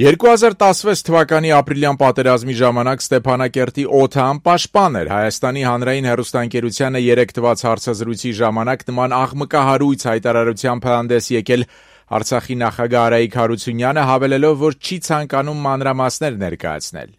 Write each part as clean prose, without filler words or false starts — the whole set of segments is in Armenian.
2016 թվականի ապրիլյան պատերազմի ժամանակ Ստեփանակերտի օդը անպաշտպան էր։ Հայաստանի հանրային հեռուստաընկերությանը 3 տված հարցազրույցի ժամանակ նման աղմկահարույց հայտարարությամբ հանդես եկել Արցախի նախագահ Արայիկ Հարությունյանը, հավելելով, որ չի ցանկանում մանրամասներ ներկայացնել։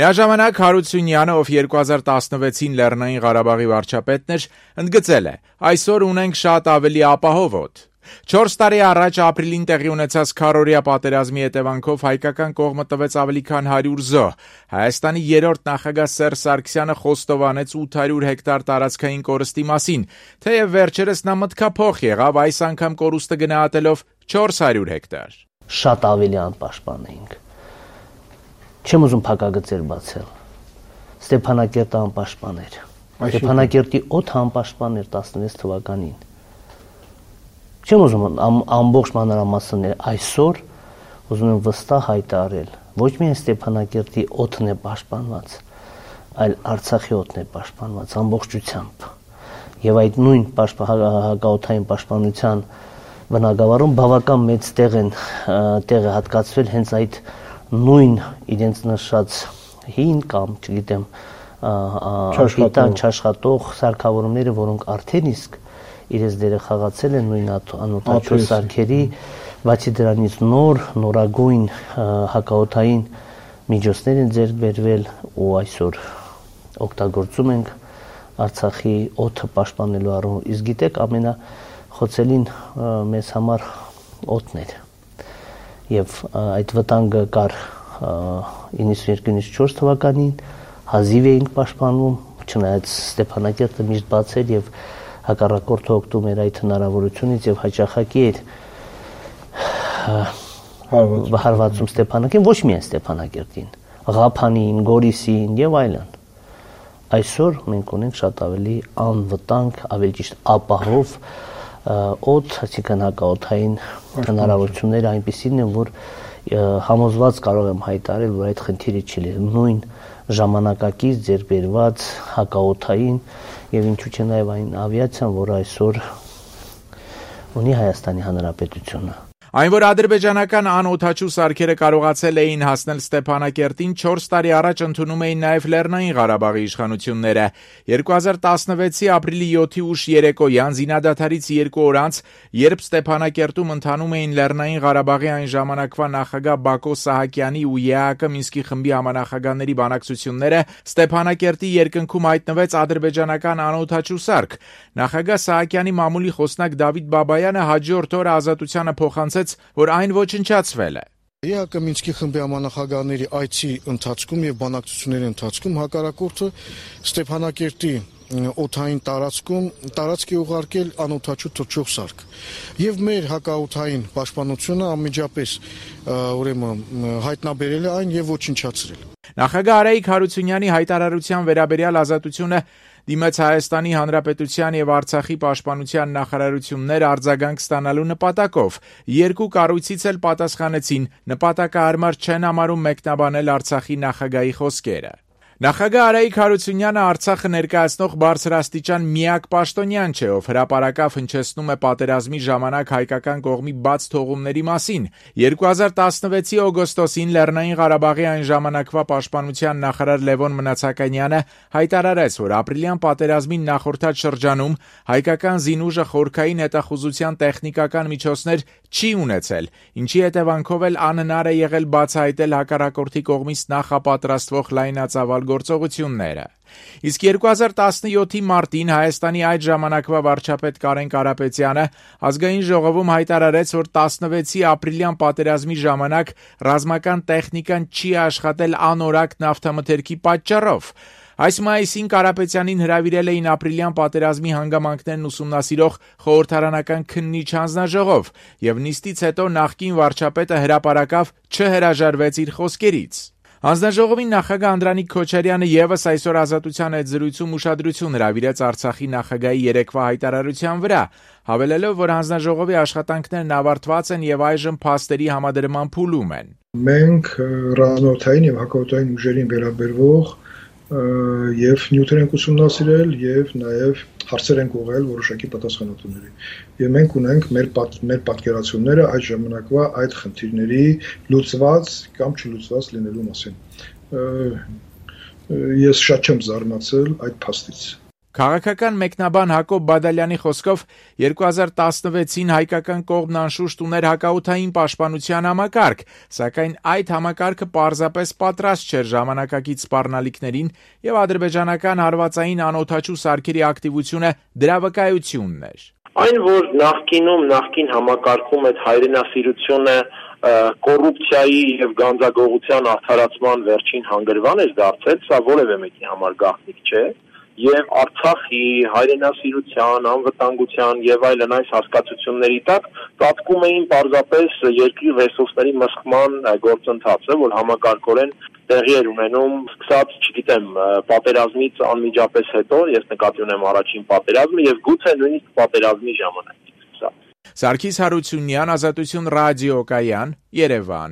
Միաժամանակ Հարությունյանը, ով 2016-ին Լեռնային Ղարաբաղի վարչապետն էր, ընդգծել է. «Այսօր ունենք շատ ավելի ապահով օդ»։ 4 տարի առաջ ապրիլին տեղի ունեցած քառօրյա պատերազմի հետևանքով հայկական կողմը տվեց ավելի քան 100 զոհ։ Հայաստանի երրորդ նախագահ Սերժ Սարգսյանը խոստովանեց 800 հեկտար տարածքային կորստի մասին, թեև վերջերս նա մտքափոխ եղավ, այս անգամ կորուստը գնահատելով 400 հեկտար։ Շատ ավելի անպաշտպան էինք։ Չեմ ուզում փակագծեր բացել։ Ստեփանակերտը անպաշտպան էր։ Ստեփանակերտի օդը անպաշտպան էր 16 թվականին։ Չեմ ուզում ամբողջ մանրամասներ այսօր ուզում եմ վստահ հայտարարել, ոչ միայն Ստեփանակերտի օդն է պաշտպանված, այլ Արցախի օդն է պաշտպանված ամբողջությամբ։ Եվ այդ նույն հակաօդային պաշտպանության բնագավառում բավական մեծ տեղ է հատկացվել հենց այդ նույն իրենց նշած հին կամ, չգիտեմ, չաշխատող սարքավորումները, որոնք արդեն իսկ իրենց դերը խաղացել են նույն անօդաչու սարքերի, բացի դրանից նորագույն հակաօդային միջոցներ են ձեռք բերվել ու այսօր օգտագործում ենք Արցախի օդը պաշտպանելու առումով։ Իսկ գիտեք, ամենախոցելին մեզ համար օդն էր։ Եվ այդ վտանգը կար 92-94 թվականին, հազիվ էինք պաշտպանվում, չնայած Ստեփանակերտը միշտ բաց էր եւ հակառակորդը օգտվում էր այդ հնարավորությունից եւ հաճախակի էր հարվածում Ստեփանակերտին, ոչ միայն Ստեփանակերտին, Ղափանին, Գորիսին եւ այլն։ Այսօր մենք ունենք շատ ավելի անվտանգ, ավելի ճիշտ ապահով օդ, այսինքն հակաօդային հնարավորությունները այնպիսին են, որ համոզված կարող եմ հայտարարել, որ այդ խնդիրը չի լինի։ Նույն ժամանակակից ձեռք բերված հակաօդային եւ ինչու՞ չէ նաեւ այն ավիացիան, որ այսօր ունի Հայաստանի Հանրապետությունը։ Այն, որ ադրբեջանական անօդաչու սարքերը կարողացել էին հասնել Ստեփանակերտին, 4 տարի առաջ ընդունում էին նաև Լեռնային Ղարաբաղի իշխանությունները։ 2016-ի ապրիլի 7-ի ուշ երեկոյան զինադադարից 2 օր անց, երբ Ստեփանակերտում ընթանում էին Լեռնային Ղարաբաղի այն ժամանակվա նախագահ Բակո Սահակյանի ու ԵԱԿ Մինսկի խմբի համանախագահների բանակցությունները, Ստեփանակերտի երկնքում հայտնվեց ադրբեջանական անօդաչու սարք։ Նախագահ Սահակյանի մամուլի խոսնակ Դավիթ Բաբայանը հաջորդ օրը Ազատությանը փոխանցեց, որ այն ոչնչացվել է։ ԵԱԿ Մինսկի խմբի համանախագահների այցի ընթացքում եւ բանակցությունների ընթացքում հակառակորդը Ստեփանակերտի օդային տարածք է ուղարկել անօդաչու թռչող սարք։ Եվ մեր հակաօդային պաշտպանությունը անմիջապես հայտնաբերել է այն եւ ոչնչացրել։ Նախագահ Արայիկ Հարությունյանի հայտարարության վերաբերյալ Ազատությունը դիմեց Հայաստանի Հանրապետության եւ Արցախի պաշտպանության նախարարություններ արձագանք ստանալու նպատակով։ 2 կառույցից էլ պատասխանեցին, նպատակահարմար չեն համարում մեկնաբանել Արցախի նախագահի խոսքերը։ Նախագահ Արայիկ Հարությունյանը Արցախը ներկայացնող բարձրաստիճան միակ պաշտոնյան չէ, ով հրապարակավ հնչեցնում է պատերազմի ժամանակ հայկական կողմի բաց թողումների մասին։ 2016-ի օգոստոսին Լեռնային Ղարաբաղի այն ժամանակվա պաշտպանության նախարար Լևոն Մնացականյանը հայտարարեց, որ ապրիլյան պատերազմին նախորդած շրջանում հայկական զինուժը խորքային հետախուզության տեխնիկական միջոցներ չի ունեցել, ինչի հետևանքով էլ անհնար է եղել բացահայտել հակառակորդի կողմից նախապատրաստվող լայնածավալ գործողությունները։ Իսկ 2017-ի մարտին Հայաստանի այդ ժամանակվա վարչապետ Կարեն Կարապետյանը ազգային ժողովում հայտարարեց, որ 16-ի ապրիլյան պատերազմի ժամանակ ռազմական տեխնիկան չի աշխատել անորակ նավթամթերքի պատճառով։ Այս մայիսին Կարապետյանին հրավիրել էին ապրիլյան պատերազմի հանգամանքներն ուսումնասիրող խորհրդարանական քննիչ հանձնաժողով, եւ նիստից հետո նախկին վարչապետը հրապարակավ չհրաժարվեց իր խոսքերից։ Հանձնաժողովի նախագահ Անդրանիկ Քոչարյանը եւս այսօր Ազատության հետ զրույցում ուշադրություն հրավիրեց Արցախի նախագահի երեկվա հայտարարության վրա, հավելելով, որ հանձնաժողովի աշխատանքներն ավարտված են եւ այժմ փաստերի համադրման փուլում են։ Մենք ռազմաօդային եւ հակաօդային ուժերին վերաբերվող եւ նյութեր ենք ուսումնասիրել եւ նաեւ հարցեր ենք ուղղել որոշակի պատասխանատուների։ Եվ մենք ունենք մեր պատկերացումները այդ ժամանակվա այդ խնդիրների լուծված կամ չլուծված լինելու մասին։ Ես շատ չեմ զարմացել այդ փաստից։ Քաղաքական մեկնաբան Հակոբ Բադալյանի խոսքով 2016-ին հայկական կողմն անշուշտ ուներ հակաօդային պաշտպանության համակարգ, սակայն այդ համակարգը պարզապես պատրաստ չէր ժամանակակից սպառնալիքներին եւ ադրբեջանական հարվածային անօդաչու սարքերի ակտիվությունը դրա վկայությունն էր։ Այն, որ նախկին համակարգում այդ հայրենասիրությունը կոռուպցիայի եւ գանձագողության արդարացման վերջին հանգրվան էր դարձել, սա որևէ մեկի համար գաղտնիք չէ։ Եվ Արցախի հայրենասիրության, անվտանգության եւ այլն այս հասկացությունների տակ ծածկում էին պարզապես երկրի ռեսուրսների մսխման գործընթացը, որ համակարգորեն տեղի էր ունենում սկսած, չգիտեմ, պատերազմից անմիջապես հետո, ես նկատի ունեմ առաջին պատերազմը եւ գուցե նույնիսկ պատերազմի ժամանակ։ Սարգիս Հարությունյան, Ազատություն ռադիոկայան, Երևան։